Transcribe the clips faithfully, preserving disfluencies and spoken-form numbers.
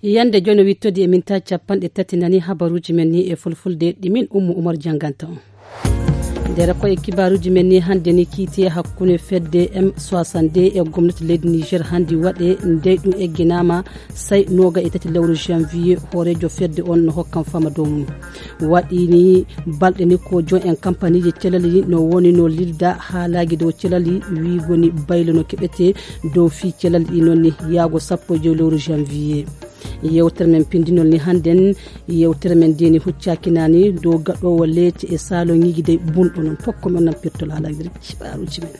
Yande jono wittodi e minta capanɗe tati nani habaruji men ni e fulfulde ɗi min Ummu Umar janganta on. Nder koye kibaruji men ni hande ni kiite hakkunde fedde M soixante-deux e gomnati leydi Niger handi waɗe ndey ɗum egginama sai noga e tati lewru janvier hoorejo fedde on no hokkan fama dow mum. Waɗi ni balɗe ni ko jon en kampaniji celali no woni no lilda haalaji dow celali wiigo ni baylo no keɓete dow fii celali ɗi noon ni yaago sappo e joyi lewru janvier. Yewtere men pindinol ni hannden yewtere men ndeni huccaki nani dow gaɗowo leete e saloŋiji dey bunɗo noon pokko men nan pirtol haalagiri cibaruji men.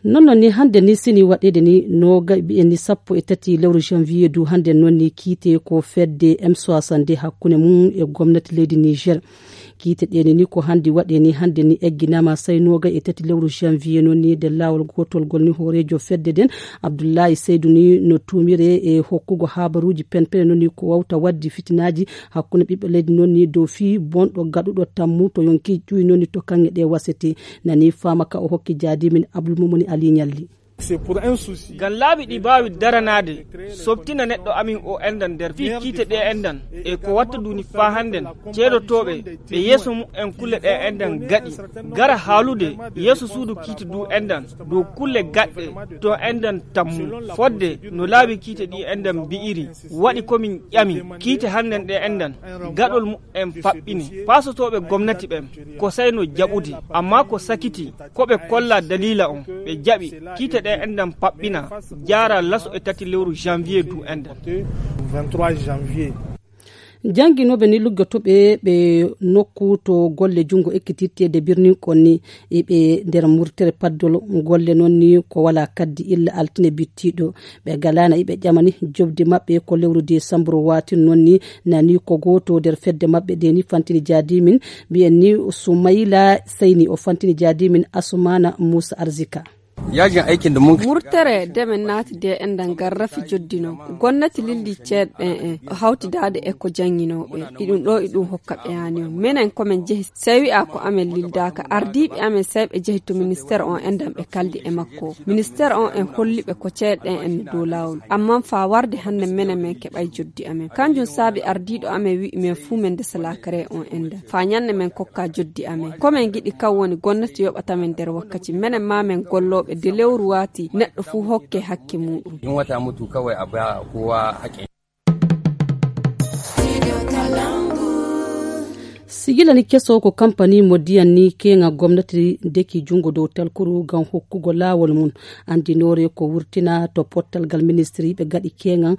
Noon noon ni hannde ni sini waɗeede ni noga mbiyen ni sappo e tati lewru janvier du hannde noon ni kiite ko fedde M soixante-deux hakkunde mum e gomnati leydi Niger. Kiite ɗe ni ni ko hannde waɗe ni hannde ni egginama sai noga e tati lewru janvier noon ni de laawol gotol gol ni hoorejo fedde den Abdullahi Seydu ni no tumire e hokkugo habaruji penpene noon ni ko wawta waddi fitinaaji hakkunde ɓiɓɓe leydi noon ni dow fii bonɗo gaɗuɗo tammu to yonki ƴuwi noon ni to kaŋŋe ɗe wasete. Nani fama ka o hokki jaadimin Abdul Mumuni Ali Ñalli. Ngam laabi ɗi mbaawi daranaade, softina neɗɗo amin o enɗan nder fii kiite ɗe enɗan e ko watta duni faa hannden ceedotooɓe ɓe yeeso mumen kulle ɗe enɗan gaɗi gara haalude yeeso suudu kiite du enɗan dow kulle gaɗɗe to enɗan tammu fodde no laabi kiite ɗi enɗan mbi'iri. Waɗi ko min ƴami kiite hannden ɗe enɗan gaɗol mumen faɓɓini paasotooɓe gomnati ɓen ko sai no jaɓude amma ko sakiti ko ɓe kolla dalila on ɓe jaɓi kiite ɗe enɗan paɓɓina jaara laso e tati lewru janvier du enɗan. Jannginooɓe ni luggotoɓe ɓe nokku to golle junngo ekkitirteede birnin kon ni e ɓe nder murtere paddol golle noon ni ko wala kaddi illa altine bittiɗo. Ɓe galana iɓe ƴamani jobdi maɓɓe ko lewru desambru watin noon ni nani ko gooto nder fedde maɓɓe de ni fantini jaadimin mbiyen ni Sumayla Seyni o fantini jaadimin Asumana Musa Arzika. Yajin aikin da mun murtere demen naati de enɗan garrafi joddino gonnati lildi ceeɗe ɗen en hawtidaade e ko jannginooɓe iɗum ɗo iɗum hokka ɓe yaani on minen komin jehi sey wi'a ko amen lildaaka ardiiɓe amen sey ɓe jehi to ministeer on enɗan ɓe kaldi e makko ministeer on en holli ɓe ko ceeɗe ɗen en no dow laawol amman faa warde hannden minen men keɓay joddi amen kanjum saabi ardiiɗo amen wi'i men fuu men ndesa laakare on enɗan faa ñannde men kokka joddi amen ko men ngiɗi kan woni gonnati yoɓata men nder wakkati menen maa men gollooɓe de lewru waati neɗɗo fuu hokke hakke muuɗum. In wata mutu kawai a ba kowa haƙƙin. Sigila ni keso ko kampani mo diyan ni keŋa gomnati deki junngo dow talkuru ngam hokkugo laawol mum anndinoore ko wurtina to pottal ngal ministiri ɓe gaɗi keŋa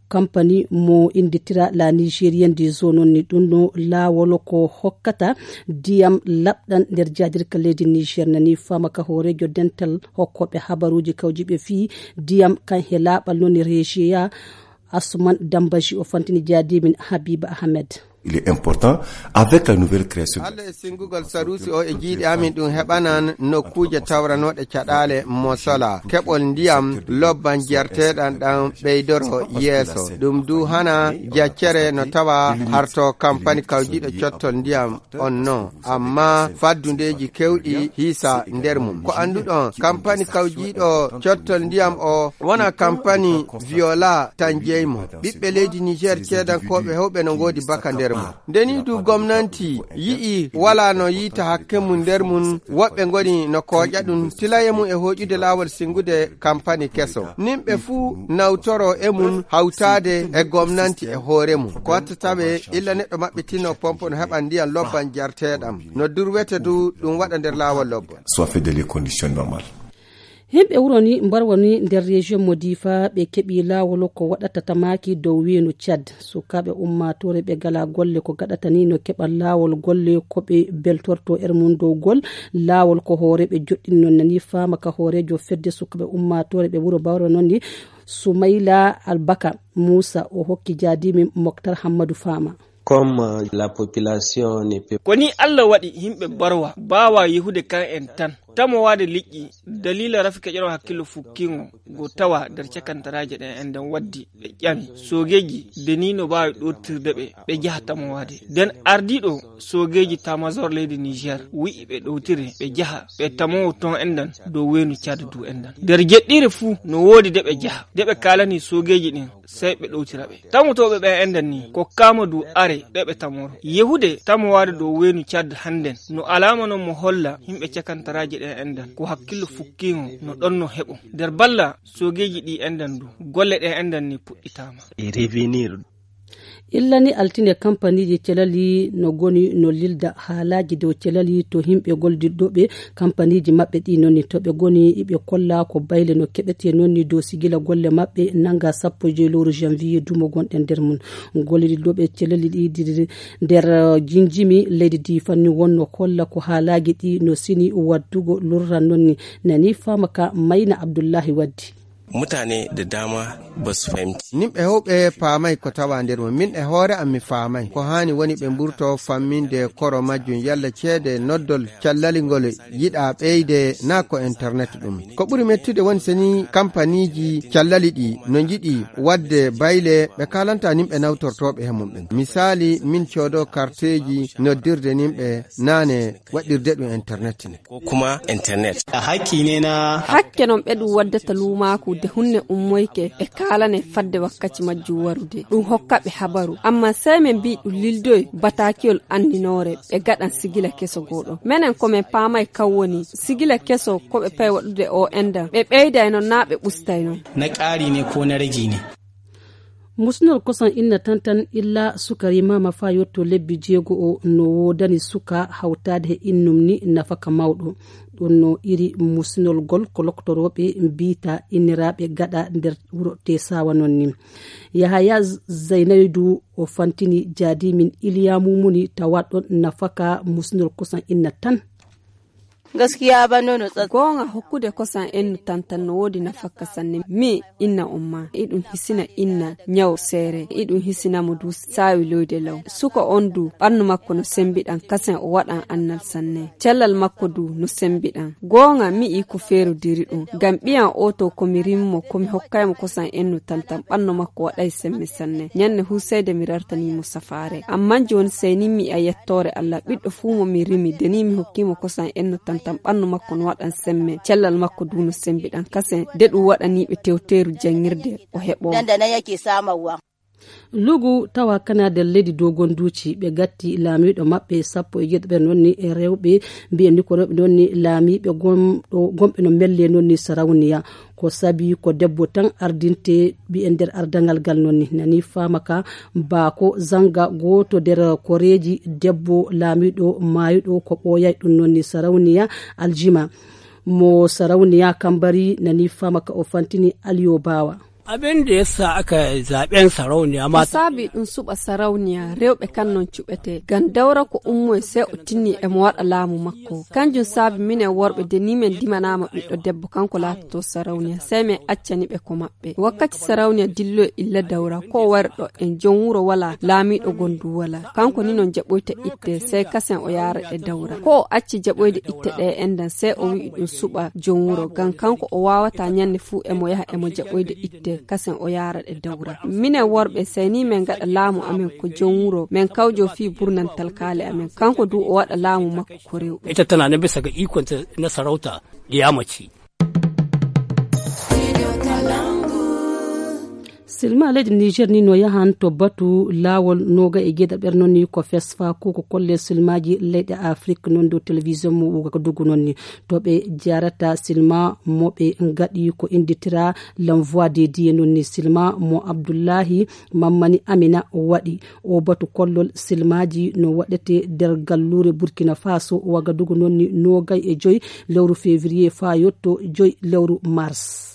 kampani mo innditira la nigérienne des eaux noon ni ɗum no laawol ko hokkata ndiyam laɓɗan nder jaadirka leydi niger nani fama ka hoorejo dental hokkooɓe habaruuji kawjiiɓe fii ndiyam kan he laaɓal noon ni regiya. Asuman dambaji o fantini jaadimin habiba ahmed. Il est important avec la nouvelle création. Singugol sarusi o e jiiɗi amin ɗum heɓanan nokkuuje tawranooɗe caɗaale mosola keɓol ndiyam lobban jerteɗan ɗan ɓeydoro yeeso ɗum du hana jaccere no tawa harto kampani kawjiɗo cottol ndiyam on no amma faddundeeji kewɗi hiisa nder mum ko annduɗon kampani kawjiɗo cottol ndiyam o wona kampani viola tan jeymo ɓiɓɓe leydi niger ceedankooɓe hewɓe no ngoodi baka nder mum. Ndeni du gomnanti yi'i wala no yiita hakke mum nder mum woɓɓe ngoni no kooƴa ɗum tilaye mum e hooƴude laawol singude kampani keso nimɓe fuu nawtoro e mum hawtaade e gomnanti e hoore mum ko wattata ɓe illa neɗɗo maɓɓitino pompo no heɓa ndiyan lobban jarteɗam no durwete du ɗum waɗa nder laawol lobban. Soit fait de les conditions normales. Himɓe wuro ni mbarwa ni nder région mo difa ɓe keɓi laawol ko waɗata tamaki dow weenu tchad sukaaɓe ummaatoore ɓe gala golle ko gaɗata ni no keɓa laawol golle ko ɓe beltorto er mum dow gol laawol ko hoore ɓe joɗɗini noon nani faama ka hoorejo fedde sukaaɓe ummaatoore ɓe wuro bawro noon ni sumayla albaka muusa o hokki jaadimi moktar hammadu faama. Comme la population ne peut. Ko ni allah waɗi yimɓe barwa mbaawa yehude kan en tan. Tamowaade liƴƴi daliila rafi keƴoroo hakkillo fukkiingo go tawa nder cakantaraaje ɗen enɗen waddi ɓe ƴami soogeeji de ni no mbaawi ɗooftirde ɓe ɓe njaha tamowaade. Nden ardiiɗo soogeeji tamazor leydi Niger wi'i ɓe ɗowtire ɓe njaha ɓe tamowo ton enɗen dow weenu Caad du enɗen. Nder jeɗɗiire fuu no woodi de ɓe njaha de ɓe kaalani soogeeji ɗin sey ɓe ɗowtira ɓe. Tamotooɓe ɓen enɗen ni kokkaama du are ɓe ɓe tamoro. Yehude tamowaade dow weenu Caad hannden no alaama non mo holla yimɓe cakantaraaje ɗen enɗen ko hakkillo fukkiingo no ɗon no heɓo. Nder balla soogeeji ɗi enɗen du golle ɗe enɗen ni puɗɗitaama. Illa ni altine kampaniiji calali no goni no lilda haalaaji dow calali to yimɓe gollidiɗɗo ɓe kampaniiji maɓɓe ɗi noon ni to ɓe goni iɓe kolla ko bayle no keɓetee noon ni dow sigila golle maɓɓe nannga sappo e joy lewru janvier duumo gonɗen nder mum. Gollidiɗɗo ɓe calali ɗi nder jinjimi leydi ndi fanni wonno holla ko haalaaji ɗi no sini waddugo lurran noon ni nani faama ka mayna abdullahi waddi. Mutane da dama ba su fahimci. Nimɓe hewɓe paamay ko tawa nder mum. Min e hoore am mi faamay ko haani woni ɓe mburto famminde koro majjum yalla ceede noddol callali ngol yiɗa ɓeyde naa ko internet ɗum. Ko ɓuri mettude woni so ni kampaniiji callali ɗi no njiɗi waɗde bayle ɓe kaalanta nimɓe nawtortooɓe he mum ɓen. Misaali min coodo karteeji noddirde nimɓe naane waɗirde ɗum internet ne. Ko kuma internet. A haqqi ne na. Hakke non ɓe ɗum waddata luumaaku de hunne ummoyke ɓe kaalane fadde wakkaci majjum warude ɗum hokka ɓe habaru amma sey min mbi ɗum lildoy bataakiyol anndinoore ɓe gaɗan sigila keso gooɗo menen ko min paamay kan woni sigila keso ko ɓe pay waɗude o endan ɓe ɓeyday non naa ɓe ɓustay non. Na ƙari ne ko na ragi ne. Musinol kosan inna tantan illa sukari mama faa yotto lebbi jeego o no woodani suka hawtaade he innum ni nafaka mawɗo. Ɗum no iri musinol gol ko loktorooɓe mbiita inniraaɓe gaɗa nder wuro tesawa noon ni. Yahaya Zaynaydu o fantini jaadi min iliya mumuni tawa ɗon nafaka musinol kosan inna tan. Gaskiya ba nono tsatsa. Goonga hokkude kosan ennu tantan no woodi nafakka sanne mi inna on ma iɗum hisina inna ñaw seere iɗum hisina mo du saawi loyde law suka on du ɓannu makko no sembiɗan kasen o waɗan annal sanne cellal makko du no sembiɗan. Goonga mi i ko feeru diri ɗum ngam ɓiyan o to ko mi rimmo ko mi hokkay mo kosan ennu tantan ɓannu makko waɗay semme sanne ñanne husayde mi rartani mo safaare amma jooni sey ni mi a yettoore allah ɓiɗɗo fuu mo mi rimi de ni mi hokkii mo kosan enno tantan ɓannu makko no waɗan semme cellal makko du no sembiɗan kasen de ɗum waɗanii ɓe tewteeru janngirde o heɓoo. Lugu tawa kana nder leydi dow gonduuji ɓe gatti laamiiɗo maɓɓe sappo e jeeɗiɗo ɓe noon ni e rewɓe mbiyen ni ko rewɓe noon ni laamiiɓe gomɗo gomɓe no melle noon ni sarawniya. Ko sabi ko debbo tan ardinte ɓiye nder ardaŋal ngal noon ni nani faama ka baako zannga gooto nder koreeji debbo laamiiɗo maayuɗo ko ɓooyay ɗum noon ni sarawniya aljima mo sarawniya kambari nani faama ka o fantini aliyo baawa. Abin da ya sa aka zaɓen sarauniya mata. Saabi ɗum suɓa sarauniya rewɓe kan non cuɓete ngam dawra ko ummoye sey o tinni emo waɗa laamu makko. Kanjum saabi minen worɓe de ni min ndimanaama ɓiɗɗo debbo kanko laatoto sarauniya sey min accani ɓe ko maɓɓe wakkati sarauniya dilloyi illa dawra ko o wari ɗo en jom wuro wala laamiiɗo gondu wala kanko ni non jaɓoyta itte sey kasen o yaara ɗe dawra ko o acci jaɓoyde itte ɗe enɗan sey o wi'i ɗum suɓa jom wuro ngam kanko o waawata ñande fuu emo yaha emo jaɓoyde itte kasen o yaara ɗe dawra minen worɓe sey ni min ngaɗa laamu amen ko jom wuro min kawjo fii burnantal kaali amen kanko du o waɗa laamu makko ko rewɓe. Ita tana nan bisa ga ikonta na sarauta ɗiya mace. Silma leydi niger ni no yahan to batu laawol noga e geɗe ɓer noon ni ko fesfa ko ko kolle silmaji leyɗe afrik noon dow télévision mo wuga ko dugu noon ni to ɓe jarata silma mo ɓe gaɗi ko inditira l'envoi dédié noon ni silma mo abdoullahi mammani amina waɗi o batu kollol silmaji no waɗete nder gallure burkina faso wagadugu noon ni nogay e joyi lewru février fa yetto joyi lewru mars.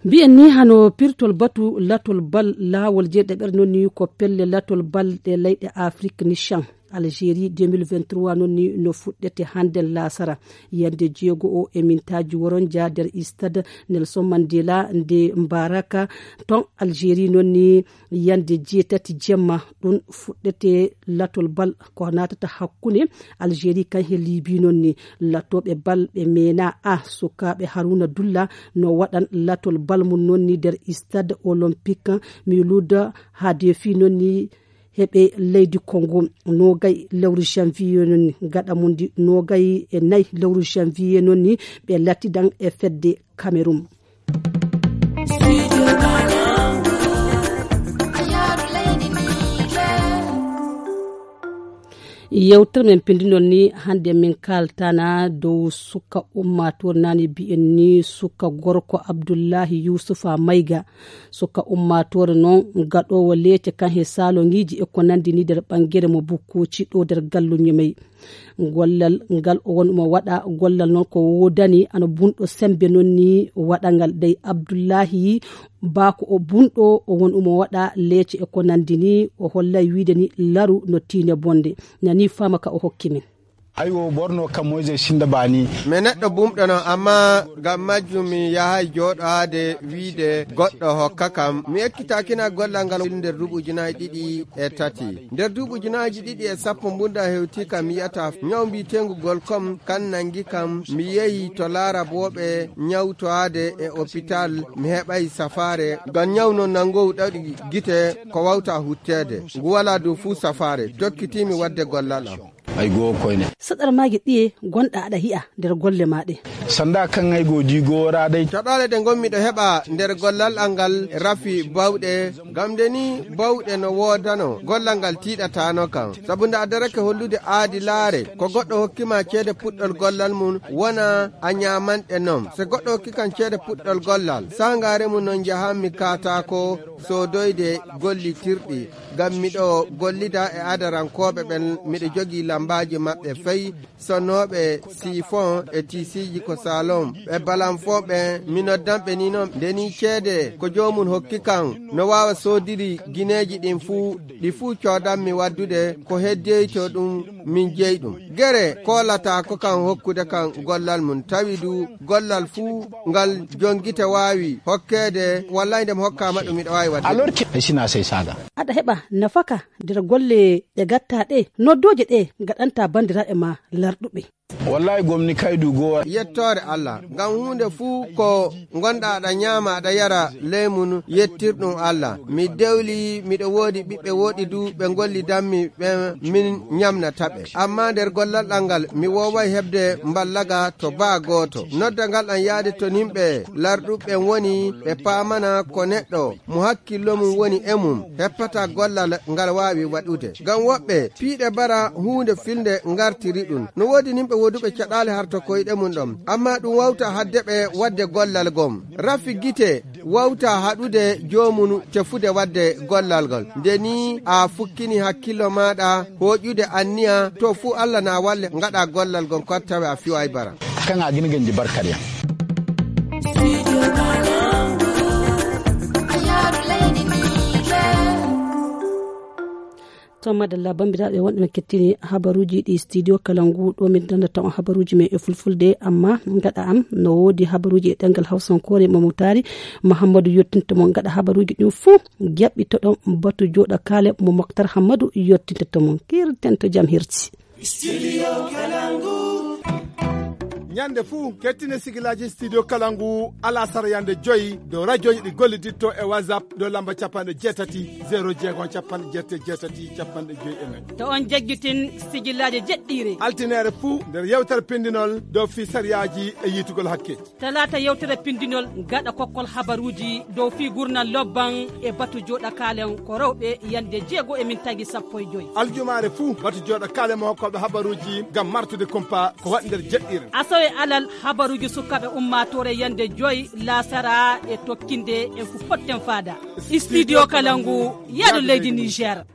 Mbiyen ni hano pirtol batu latol bal laawol jeeɗe ɓer noon ni ko pelle latol bal ɗe leyɗe afrik ni chan. Algérie deux mille vingt-trois noon ni no fuɗɗete hannden laasara. Yande jeego o e mintaaji woronja nder stade Nelson Mandela nde Mbaraka ton Algérie noon ni yande jeetati jemma ɗum fuɗɗete latol bal ko naatata hakkunde Algérie kan he Libye noon ni latooɓe bal ɓe meena a sukaaɓe Haruna Dulla no waɗan latol bal mum noon ni nder stade olympique Miloud Hadefi noon ni heɓe leydi Kongo nogay lewru janvier noon ni gaɗa mum ndi nogay e nayi lewru janvier noon ni ɓe lattidan e fedde Cameroun. Yewtere men pindinol ni hannde min kaltana dow suka ummaatoor nani bi'en ni suka gorko Abdullahi Yusufa Mayga. Suka ummaatoore noon gaɗoowo leece kan he saalongiiji e ko nanndi ni nder ɓangere mo bukkuuci ɗo nder gallu ñemey. Gollal ngal o woni mo waɗa gollal noon ko woodani ana bunɗo semmbe noon ni waɗa ngal dey Abdullahi baa ko o bunɗo o woni mo waɗa leece e ko nanndi ni o hollay wiide ni laru no tiine bonde nani faama ka o hokki min. Aywo borno kam moise sinda bani. Mi neɗɗo bumɗo non amma ngam majjum mi yahay jooɗoade wiide goɗɗo hokka kam mi ekkitakina gollal ngal nder duuɓi ujunaaji ɗiɗi e tati. Nder duuɓi ujunaaji ɗiɗi e sappo mbunda hewti kam mi yiyata ñaw mbiyeteengu gol kom kan nangi kam mi yehi to laarabooɓe ñawtoade e opital mi heɓay safaare ngam ñaw non nangowu ɗaɗi gite ko wawta hutteede ngu wala dow fuu safaare jokkitiimi wadde gollal am. Ay goo koyne. Saɗar maage ɗiye gonɗa aɗa hi'a nder golle ma ɗe. Sanda kan ay goo digo raday. Caɗaale ɗe ngonmi ɗo heɓa nder gollal angal rafi bawɗe ngam nde ni bawɗe no woodano gollal ngal tiiɗatano kam sabu nde a darake hollude aadi laare ko goɗɗo hokkima ceede puɗɗol gollal mum wona a ñamanɗe non so goɗɗo hokki kam ceede puɗɗol gollal sangare mum non njahanmi katako sodoyde gollitirɗi ngam miɗo gollida e adarankooɓe ɓen miɗo jogii lammbaaji maɓɓe fay sonnooɓe sifon e tisiiji ko salon ɓe balanfon ɓen mi noddanɓe ni non nde ni ceede ko joomum hokki kan no waawa soodiri gineeji ɗin fuu ɗi fuu coodanmi waddude ko heddoyto ɗum min jeyi ɗum gere koolata ko kan hokkude kan gollal mum tawi du gollal fuu ngal jongite waawi hokkeede wallay nde mi hokkaama ɗum miɗo waawi waɗde alors que e sina sey saaga. Aɗa heɓa nafaka nder golle ɗe gatta ɗe noddooje ɗe gaɗanta banndiraaɓe ma larɗuɓe. Wallahi gomni kaydu goo. Yettoore Allah ngam huunde fuu ko ngonɗa aɗa ñaama aɗa yara ley mum yettirɗum Allah mi dewli miɗo woodi ɓiɓɓe woɗɗi du ɓe ngollidanmi ɓe min ñamnata ɓe amma nder gollal ɗal ngal mi wooway heɓde mballaga to baa gooto nodda ngal ɗam yaade to nimɓe larɗuɓe woni ɓe paamana ko neɗɗo mo hakkillo mum woni e mum heppata gollal ngal waawi waɗude ngam woɓɓe piiɗe bara huunde filnde ngartiri ɗum no woodi nimɓe woduɓe caɗaale harta koyɗe mum ɗon amma ɗum wawta hadde ɓe waɗde gollal gom rafi gite wawta haɗude joomum tefude waɗde gollal ngol nde ni a fukkini hakkillo maɗa hoƴude anniya to fuu Allah na walle ngaɗa gollal ngol ko tawe a fiway bara. Kan a gini ganji barkar yan. To madalla bambiraaɓe wonɓe no kettini habaruuji ɗi studio kala ngu ɗo min dandata on habaruuji men e fulfulde amma gaɗa am no woodi habaruuji e ɗengal hawsankoore mo mutaari mahammadu yottinto mon gaɗa habaruuji ɗin fuu jaɓɓitoɗon batu jooɗa kaale mo moktar hammadu yottinto mon kirten to jam hirti. Studio Kalangu. Ñande fuu kettine sigilaaji studio Kalangu alasara yande joyi dow radioji ɗi golliditto e WhatsApp dow lamba capanɗe jeetati zéro jeegom capanɗe jeetati jeetati capanɗe joyi e nayi. To on jaggitin sigilaaji jeɗɗiire. Altinere fuu nder yewtere pindinol dow fii sariyaaji e yiitugol hakke. Talaata yewtere pindinol gaɗa kokkol habaruuji dow fii gurnal lobban e batu jooɗa kaalen ko rewɓe yande jeego e min tagi sappo e joyi. Aljumaare fuu batu jooɗa kaalen mo hokkooɓe habaruuji ngam martude kumpa ko waɗi nder jeɗɗiire. Asawe alal habaruuji sukaaɓe ummaatoore yande joyi laasara e tokkinde en ko potten faada. Studio Kalangu yaɗo leydi Niger.